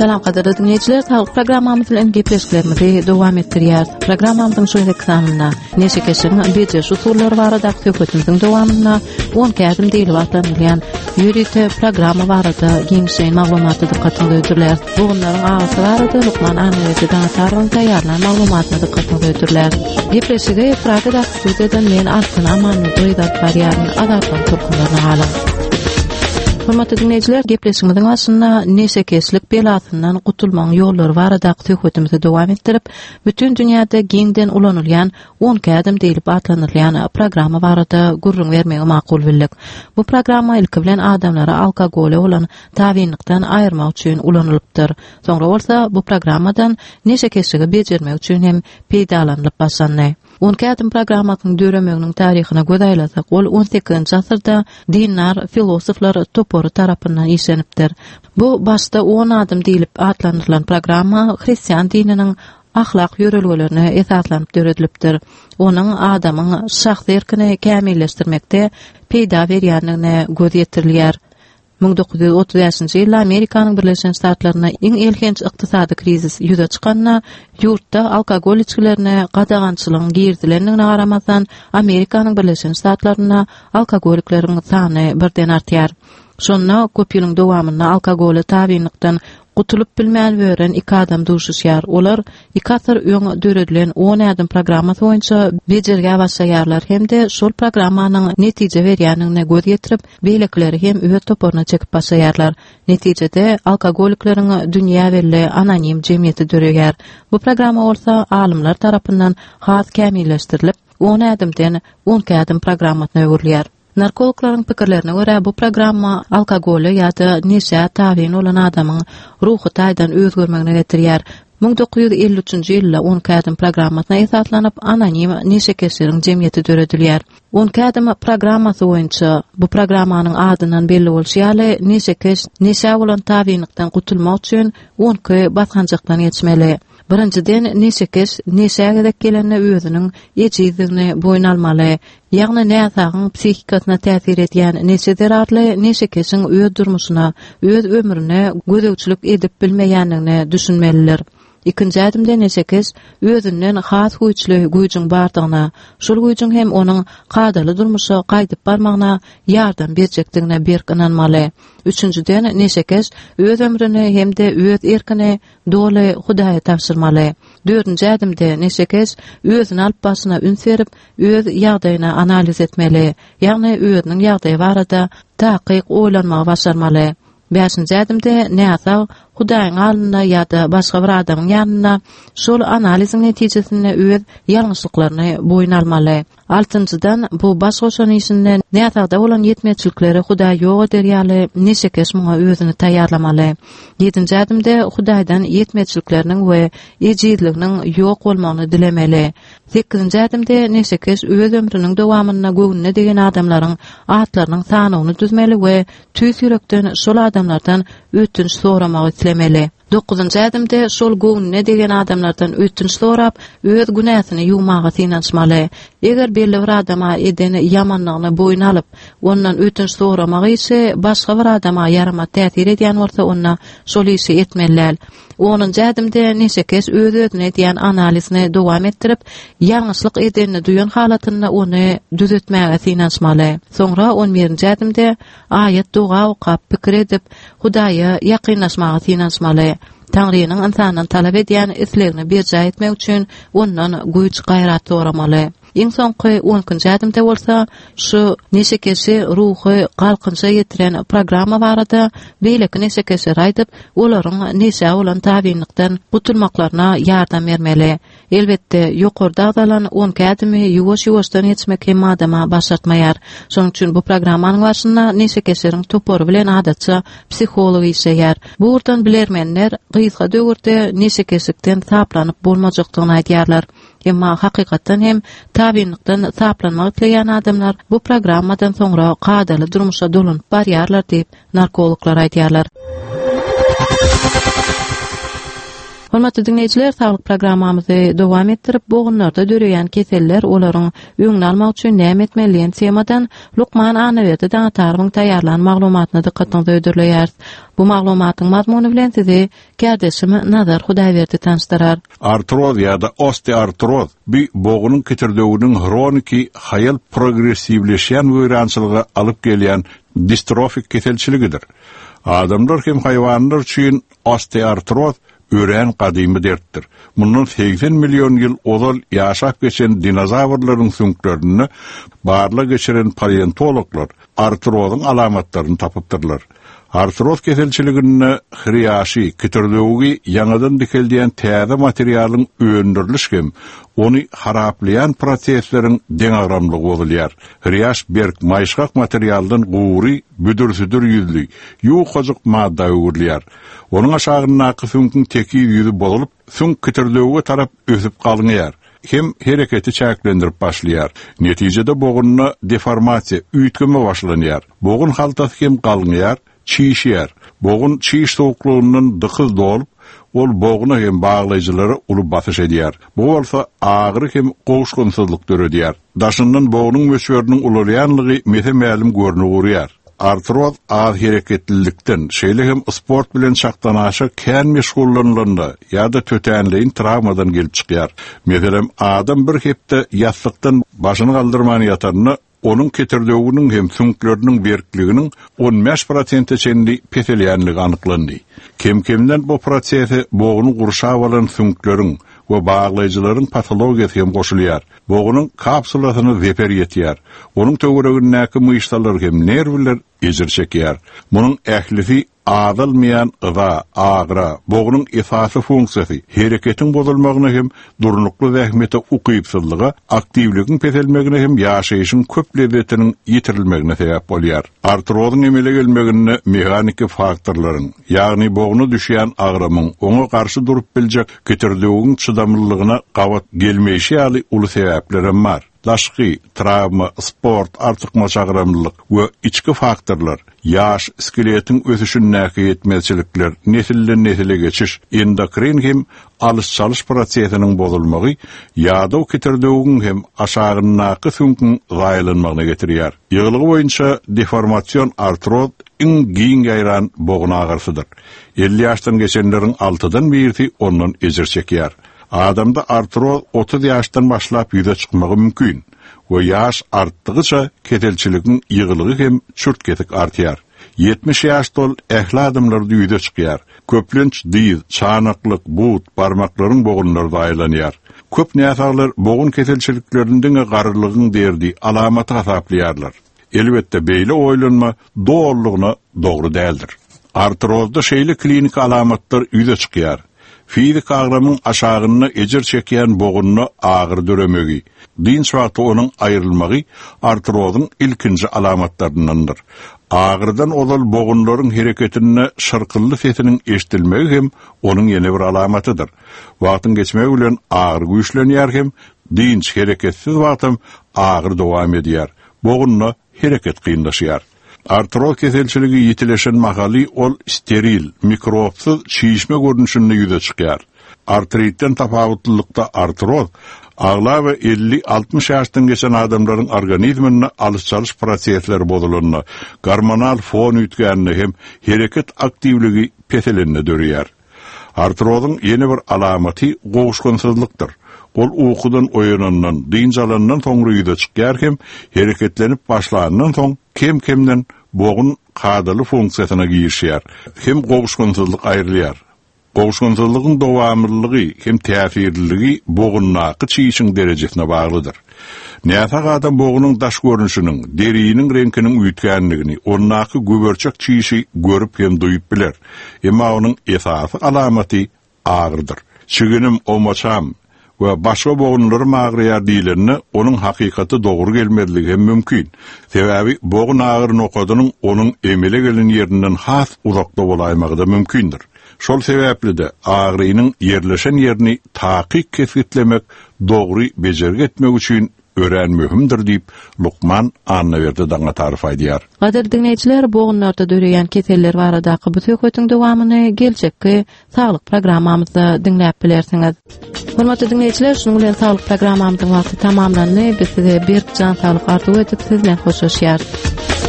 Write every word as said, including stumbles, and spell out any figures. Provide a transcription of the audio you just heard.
Salam gadyrly dinleýjiler, saglyk programmamyz bilen gepleşiklerimizi dowam etdirýäris. Programmamyzyň şu gezekki sanynda neşekeşligiň bejeriş usullary baradaky söhbetimiziň dowamynda on ädim diýlip atlandyrylýan ýörite programma barada giňişleýin maglumaty dykgatyňyza hödürläris. Bogunlaryň agysy barada lukman Annaberdi Daňatarowyň taýýarlan maglumatyna dykgatyňyza hödürläris. Gepleşigi Pragadaky studiýadan men Altyn Amanly alyp barýaryn. Azatlygyň tolkunlaryna galyň. Hormatly dinleýjiler, gepleşigimiziň başynda neşekeşlik belasyndan gutulmagyň ýollary baradaky söhbetimizi dowam etdirip, bütün dünýäde giňden ulanylýan on ädim diýlip atlandyrylýan programma barada gürrüň bermegi makul bildik. Bu programma ilki bilen adamlara alkogola bolan tabynlykdan aýyrmak üçin ulanylypdyr. Soňra bolsa bu programmadan neşekeşligi bejermek üçin hem peýdalanylyp başlandy. On ädim programmasynyň döremeginiň taryhyna göz aýlasak, ol on sekizinji asyrda dindar filosoflar topary tarapyndan işlenipdir. Bu başda on adım diýlip atlandyrylan programma hristian dininiň ahlak ýörelgelerine esaslanyp döredilipdir. Onuň adamyň şahsy erkini kämilleşdirmekde peýda berýändigine göz ýetirilýär. Müň dokuz ýüz otuz bäşinji ýylda Amerikanyň Birleşen Ştatlarynda iň elhenç ykdysady krizis ýüze çykanda, ýurtda alkogol içgilerine gadagançylygyň girizilendigine garamazdan, Amerikanyň Birleşen Ştatlarynda alkogolikleriň sany birden artýar. Şonda köp ýylyň dowamynda alkogola tabynlykdan gutulyp bilmän bören iki adam duşuşýar. Olar iki asyr öň döredilen on ädim programmasy boýunça bejergä başlaýarlar hem-de şol programmanyň netije berýändigine göz ýetirip, beýlekileri hem öz toparyna çekip başlaýarlar. Netijede alkogolikleriň dünýä belli anonim jemgyýeti döreýär. Bu programma bolsa alymlar tarapyndan has kämilleşdirilip, on ädimden on ädim programmasyna öwrülýär. Narkologlaryň pikirlerine görä bu programma alkogola ýa-da neşä tabyn bolan adamyň ruhy taýdan özgermegine getirýär. Müň dokuz ýüz elli üçünji ýylda on ädim programmasyna esaslanyp anonim neşekeşleriň jemgyýeti döredilýär. On ädim programmasy boýunça bu programmanyň adyndan belli bolşy ýaly neşekeş neşä bolan tabynlykdan gutulmak üçin on iki basgançakdan geçmeli. Birinjiden neşekeş neşä gezek gelende özüniň ejizligini boýun almaly. Ýagny näsagyň psihikasyna täsir edýän neşe zerarly neşekeşiň öz durmuşyna, öz ömrüne gözegçilik edip bilmeýändigine düşünmelidir. Ikinji ädimde neşekeş özünden has güýçli güýjüň bardygyna, şol güýjüň hem onuň kadaly durmuşa gaýdyp barmagyna ýardam berjekdigine berk ynanmaly. Üçünjiden neşekeş öz ömrüni hem-de öz erkini doly Hudaýa tabşyrmaly. Dördünji ädimde neşekeş özüni alyp başyna üns berip, öz ýagdaýyny analiz etmeli. Ýagny özüniň ýagdaýy barada takyk oýlanmagy başarmaly. Bäşinji ädimde näsag Hudaýyň alnynda ýa-da başga bir adamyň ýanynda şol analiziň netijesinde öz ýalňyşlyklaryny boýun almaly. Altynjydan bu baş goşan işinde näsagda bolan ýetmezçilikleri Hudaý ýok eder ýaly neşekeş muňa özüni taýýarlamaly. Ýedinji ädimde Hudaýdan ýetmezçilikleriniň we ejizliginiň ýok bolmagyny dilemeli. Sekizinji ädimde neşekeş öz ömrüniň dowamynda göwnüne degen adamlaryň atlarynyň sanyny düzmeli we tüýs ýürekden şol adamlardan ötünç soramagy islemeli. Dokuzynjy ädimde şol göwnüne degen adamlardan ötünç sorap, öz günäsini ýuwmaga synanyşmaly. Eger belli bir adama eden ýamanlygyny boýun alyp, ondan ötünç soramagy işi başga bir adama ýaramaz täsir edýän bolsa, onda şol işi etmeli däl. Onunjy ädimde neşekeş öz-özüne edýän analizini dowam etdirip, ýalňyşlyk edenini duýan halatynda ony düzetmäge synanyşmaly. Soňra on birinji ädimde aýat doga okap, pikir edip, Hudaýa ýakynlaşmaga synanyşmaly. Taňrynyň insandan talap edýän islegini berjaý etmek üçin ondan güýç gaýrat soramaly. Iň soňky on ikinji ädimde bolsa şu neşekeşi ruhy galkynşa ýetiren programma barada beýleki neşekeşlere aýdyp, olaryň neşä bolan tabynlykdan gutulmaklaryna ýardam bermeli. Elbetde, ýokarda agzalan on iki ädimi ýuwaş-ýuwaşdan geçmek hem adama başartmaýar. Şonuň üçin bu programmanyň başynda neşekeşleriň topary bilen adatça psiholog işleýär. Bu ugurdan bilermenler gysga döwürde neşekeşlikden saplanyp bolmajakdygyny aýdýarlar. Emma hakykatdan hem tabynlykdan saplanmak isleýän adamlar bu programmadan soňra kadaly durmuşa dolanyp barýarlar diýip narkologlar aýdýarlar. Hormatly dinleýjiler, saglyk programmamyzy dowam etdirip, bogunlarda döreýän keseller, olaryň öňüni almak üçin näme etmeli diýen temadan Lukman Annaberdi Daňatarowyň taýýarlan maglumatyna dykgatyňyzy hödürleýäris. Bu maglumatyň mazmuny bilen sizi kärdeşim Nazar Hudaýberdi tanyşdyrar. Artroz ýa-da osteoartroz bir bogunyň kitirdewiniň hroniki haýal progressiwleşýän weýrançylyga alyp gelýän distrofik keselçiligidir. Adamlar hem haýwanlar üçin osteoartroz örän gadymy dertdir. Mundan seksen million ýyl ozal ýaşap geçen dinozavrlaryň süňklerinde barla geçiren paleontologlar artrozyň alamatlaryny tapypdyrlar. Artroz keselçiliginde hriýaşy, kitirdewigi ýaňadan dikeldýän täze materialyň öndüriliş hem ony haraplaýan prosesleriň deňagramlygy bozulýar. Hriýaş berk, maýyşgak materialdan gury, büdür-südür ýüzli, ýuwukajyk madda öwrülýär. Onuň aşagyndaky süňküň tekiz ýüzi bozulyp, süňk kitirdewige tarap ösüp galňaýar. Hem hereketi çäklendirip başlaýar. Netijede bogunda deformasiýa, üýtgeme başlanýar. Bogun haltasy hem galňaýar, çişýär. Bogun çiş soğuklugyndan dykyz dolup, ol boguna hem baglaýjylara uly basyş edýär. Bu bolsa agyry hem gowuşgynsyzlyk döredýär. Daşyndan bognuň möçberiniň ulalýanlygy mese-mälim görnüp urýar. Artroz az hereketlilikden, şeýle hem sport bilen çakdanaşa kän meşgullanylanda ýa-da tötänleýin travmadan gelip çykýar. Meselem, adam bir hepde ýassykdan başyny galdyrman ýatanda, onuň ketirdewiniň hem süňkleriniň berkliginiň on bäş prosente çenli peselýänligi anyklandy. Kem-kemden bu prosese bogny gurşap alan süňkleriň we baglaýjylaryň patologiýasy hem goşulýar. Bognuň kapsulasyna zeper ýetýär. Onuň töweregindäki myşsalar hem nerwler ejir çekýär. Munuň ählisi azalmaýan yza, agra, bognuň esasy funksiýasy, hereketiň bozulmagyna hem durnukly zähmete ukypsyzlyga, aktiwligiň peselmegine hem ýaşaýşyň köp lezzetiniň ýitirilmegine sebäp bolýar. Artrozyň emele gelmeginde mehaniki faktorlaryň, ýagny bogna düşýän agramyň oňa garşy durup biljek kitirdewügiň çydamlylygyna gabat gelmeýşi ýaly uly sebäpler hem bar. Daşky, travma, sport, artykmaç agramlylyk we içki faktorlar, ýaş, skeletiň ösüşindäki ýetmezçilikler, nesilden nesile geçiş, endokrin hem alyş-çalyş prosesiniň bozulmagy, ýadaw kitirdewügiň hem aşagyndaky süňküň zaýalanmagyna getirýär. Ýygylygy boýunça deformasion artroz iň giň ýaýran bogun agyrsydyr. elli ýaşdan geçenleriň altydan birisi ondan ejir çekýär. Adamda artroz otuz ýaşdan başlap ýüze çykmagy mümkin we ýaş artdygyça keselçiligiň ýygylygy hem çürt kesik artýar. ýetmiş ýaş dol ähli adamlarda ýüze çykýar. Köplenç dyz, çanaklyk, but, barmaklaryň bogunlary zaýalanýar. Köp näsaglar bogun keselçiliklerini diňe garrylygyň derdi, alamaty hasaplaýarlar. Elbetde beýle oýlanma dolulygyna dogry däldir. Artrozda şeýle klinik alamatlar ýüze çykýar. Fizik agramyň aşagynda ejir çekýän bogunda agyr döremegi, dynç wagty onuň aýrylmagy artrozyň ilkinji alamatlaryndandyr. Agyrdan ozal bogunlaryň hereketinde şyrkylly sesiniň eşidilmegi hem onuň ýene bir alamatydyr. Wagtyň geçmegi bilen agyr güýçlenýär hem dynç hereketsiz wagtam agyr dowam edýär. Bogunda hereket kynlaşýar. Artroz keselçiligi ýitileşen mahaly ol steril, mikrobsyz çişme görnüşinde ýüze çykýar. Artritden tapawutlylykda artroz aglaba elli altmyş ýaşdan geçen adamlaryň organizminde alyş-çalyş prosesleri bozulanda, gormonal fon üýtgände hem hereket aktiwligi peselende dörýär. Artrozyň ýene bir alamaty gowuşgynsyzlykdyr. Ol ukudan oýanandan, dynç alandan soňra ýüze çykýar hem hereketlenip başlandan soň kem-kemden bogun kadaly funksiýasyna girişýär. Hem gowuşgynsyzlyk aýrylýar. Gowuşgynsyzlygyň dowamlylygy hem täsirliligi bogundaky çişiň derejesine baglydyr. Näsag adam bogunyň daş görnüşiniň, deriniň reňkiniň üýtgänligini, ondaky güberçek çişi görüp hem duýup biler. Emma onuň esasy alamaty agyrdyr. Çiginim, omaçam we başga bogunlarym agyrýar diýlende, onuň hakykaty dogry gelmezligi hem mümkin. Sebäbi bogun agyr nokadynyň onuň emele gelen ýerinden has uzakda bolaýmagy da mümkindir. Şol sebäpli de agrynyň ýerleşen ýerini takyk kesgitlemek, dogry bejergi etmek üçin örän möhümdir diýip Lukman Annaberdi Daňatarow aýdýar. Gadyrly dinleýjiler, bogunlarda döreýän keseller baradaky bu söhbetiň dowamyny geljekki saglyk programmamyzda diňläp bilersiňiz. Hormatly dinleýjiler, şunuň bilen saglyk programmamyzyň wagty tamamlandy. Biz size berk jan saglyk arzuw edip, siz bilen hoşlaşýarys.